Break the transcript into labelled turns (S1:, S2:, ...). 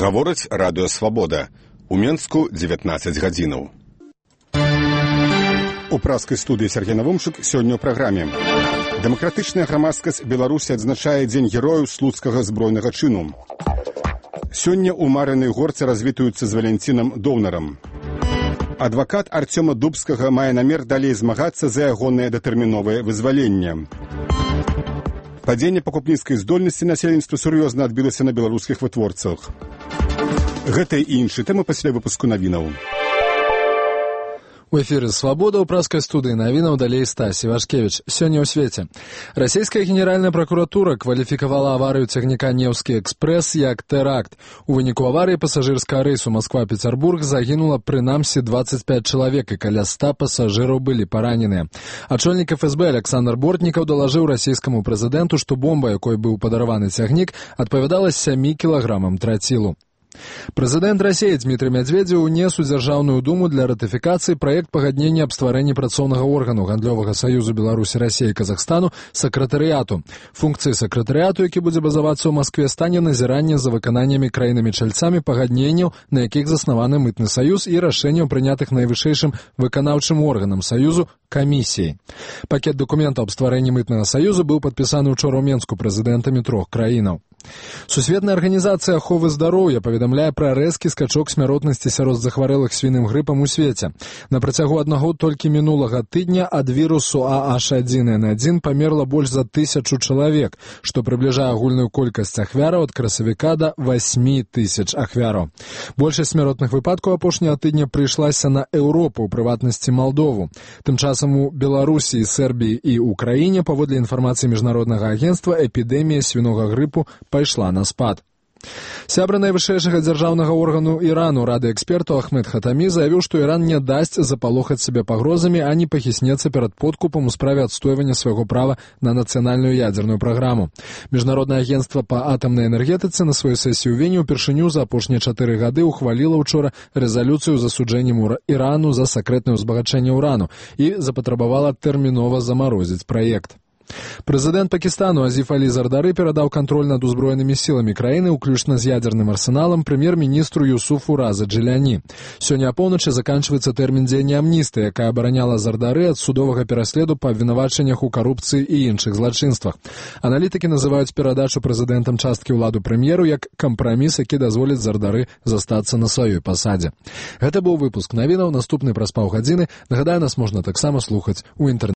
S1: Гаворыць радыё «Свабода». У Менску 19 гадзінаў. У праскай студыі Сергей Навумчык сёння ў праграме. Дэмакратычная грамадскасць Беларусі адзначае Дзень герояў слуцкага збройнага чыну. Сёння ў Марынай горцы развітаюцца з Валянцінам Доўнарам. Адвакат Арцёма Дубскага мае намер далей змагацца за ягонае датэрміновае вызваленне. Падзенне пакупніцкай здольнасці насельніцтва сур'ёзна адбілася на беларускіх вытворцах. Гэта і іншыя тэмы пасля выпуску навінаў.
S2: У эфире «Свобода» у праской студии новинов далей Стась Ивашкевич. Сегодня у свете. Российская генеральная прокуратура квалификовала аварию цягніка «Невский экспресс» як теракт. У выніку аварии пассажирского рейсу Москва-Петербург загинуло прынамсі 25 человек, и каля 100 пассажиров были поранены. Ачольник ФСБ Александр Бортников доложил российскому президенту, что бомба, якой был подарованы цягнік, адпавядала 7 килограммам тротилу. Прэзідэнт Расіі Дмітрый Медведзеў унес у Дзяржаўную думу для ратыфікацыі праект пагаднення аб стварэнні працоўнага органу гандлёвага саюзу Беларусі, Расіі і Казахстану сакратарыяту. Функцыі сакратарыяту, які будзе базавацца ў Маскве, стане назіранне за выкананнямі краінамі-чальцамі пагадненняў, на якіх заснаваны мытны саюз, і рашэнняў, прынятых найвышэйшым выканаўчым органам саюзу камісіяй. Пакет дакументаў аб стварэнні мытнага саюзу быў падпісаны ўчора ў Менску прэзідэнтамі 3 краінаў. Сусветная арганізацыя аховы здароўя паведамляе пра рэзкі скачок смяротнасці сярод захварэлых свіным грыпам у свеце. На працягу аднаго толькі мінулага тыдня ад вірусу AH1N1 памерла больш за 1000 чалавек, што прыбліжае агульную колькасць ахвяраў ад красавіка да 8000 ахвяраў. Большасць смяротных выпадкаў апошняга тыдня прыйшлася на Еўропу, у прыватнасці Малдову. Тым часам у Беларусі, Сербіі і Украіне, паводле інфармацыі міжнароднага агенцтва, эпідэмія свінога грыпу пайшла на спад. Сябра найвышэйшага дзяржаўнага органу Ірану, рады экспертаў Ахмед Хатамі, заявіў, што Іран не дасць запалохаць сябе пагрозамі, а не пахіснецца перад подкупам у справе адстойвання свайго права на нацыянальную ядзерную праграму. Міжнароднае агенцтва па атамнай энергетыцы на сваёй сесіі ў Вені ўпершыню за апошнія 4 гады ухваліла ўчора рэзалюцыю з асуджэннем Ірану за сакрэтнае ўзбагачэнне ўрану і запатрабавала тэрмінова замарозіць праект. Прэзідэнт Пакістану Азіф Алі Зардары перадаў кантроль над узброенымі сіламі краіны, уключна з ядзерным арсеналам, прэм'ер-міністру Юсуфу Раза Джиляні. Сёння апоўначы заканчваецца тэрмін дзеяння амністыі, якая абараняла Зардары ад судовага пераследу па абвінавачаннях у карупцыі і іншых злачынствах. Аналітыкі называюць перадачу прэзідэнтам часткі ўладу прэм'еру як кампраміс, які дазволіць Зардары застацца на сваёй пасадзе. Гэта быў выпуск навінаў, наступны праз паўгадзіны. Нагадаю, нас можна таксама слухаць у інтэрнэце.